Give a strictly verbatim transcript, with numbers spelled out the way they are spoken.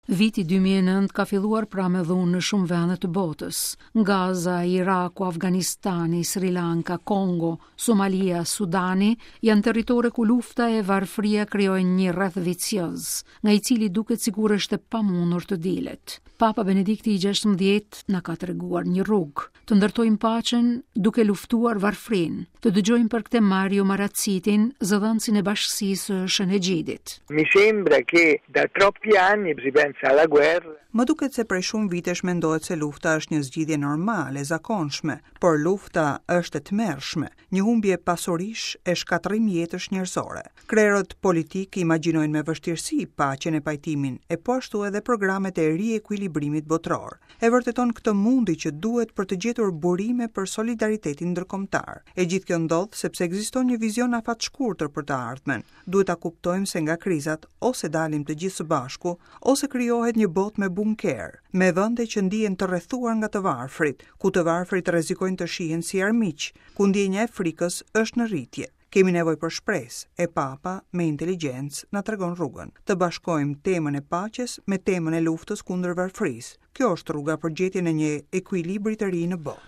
Viti dy mijë e nëntë ka filluar pra me dhunë në shumë vende të botës. Gaza, Iraku, Afganistani, Sri Lanka, Kongo, Somalia, Sudani janë territore ku lufta e varfëria krijojnë një rreth vicioz, nga i cili duket sikur është e pamundur të dilet. Papa Benedikti i gjashtëmbëdhjetë na ka treguar një rrugë: të ndërtojmë paqen duke luftuar varfërinë. Të dëgjojmë për këtë Mario Marazzitin, zëdhënësin e Bashkësisë së Shën Egjidit. Mi sembra che da troppi anni si pensa alla guerra. Më duket se prej shumë vitesh mendohet se lufta është një zgjidhje normale, e zakonshme, por lufta është e tmerrshme, një humbje pasurish e shkatërrim jetësh njerëzore. Krerët politikë imagjinojnë me vështirësi paqen e pajtimin, e po ashtu edhe programet e riekuilibrimit botëror. E vërteton këtë mundi që duhet për të gjetur burime për solidaritetin ndërkombëtar. E gjithë kjo ndodh sepse ekziston një vizion afatshkurtër për të ardhmen. Duhet ta kuptojmë se nga krizat ose dalim të gjithë së bashku, ose krijohet një botë me bunker, me vende që ndihen të rrethuar nga të varfrit, ku të varfrit rrezikojnë të shihen si armiq, ku ndjenja e frikës është në rritje. Kemi nevojë për shpresë, e Papa me inteligjencë na tregon rrugën. Të bashkojmë temën e paqes me temën e luftës kundër varfërisë. Kjo është rruga për gjetjen e një ekuilibri të ri në botë.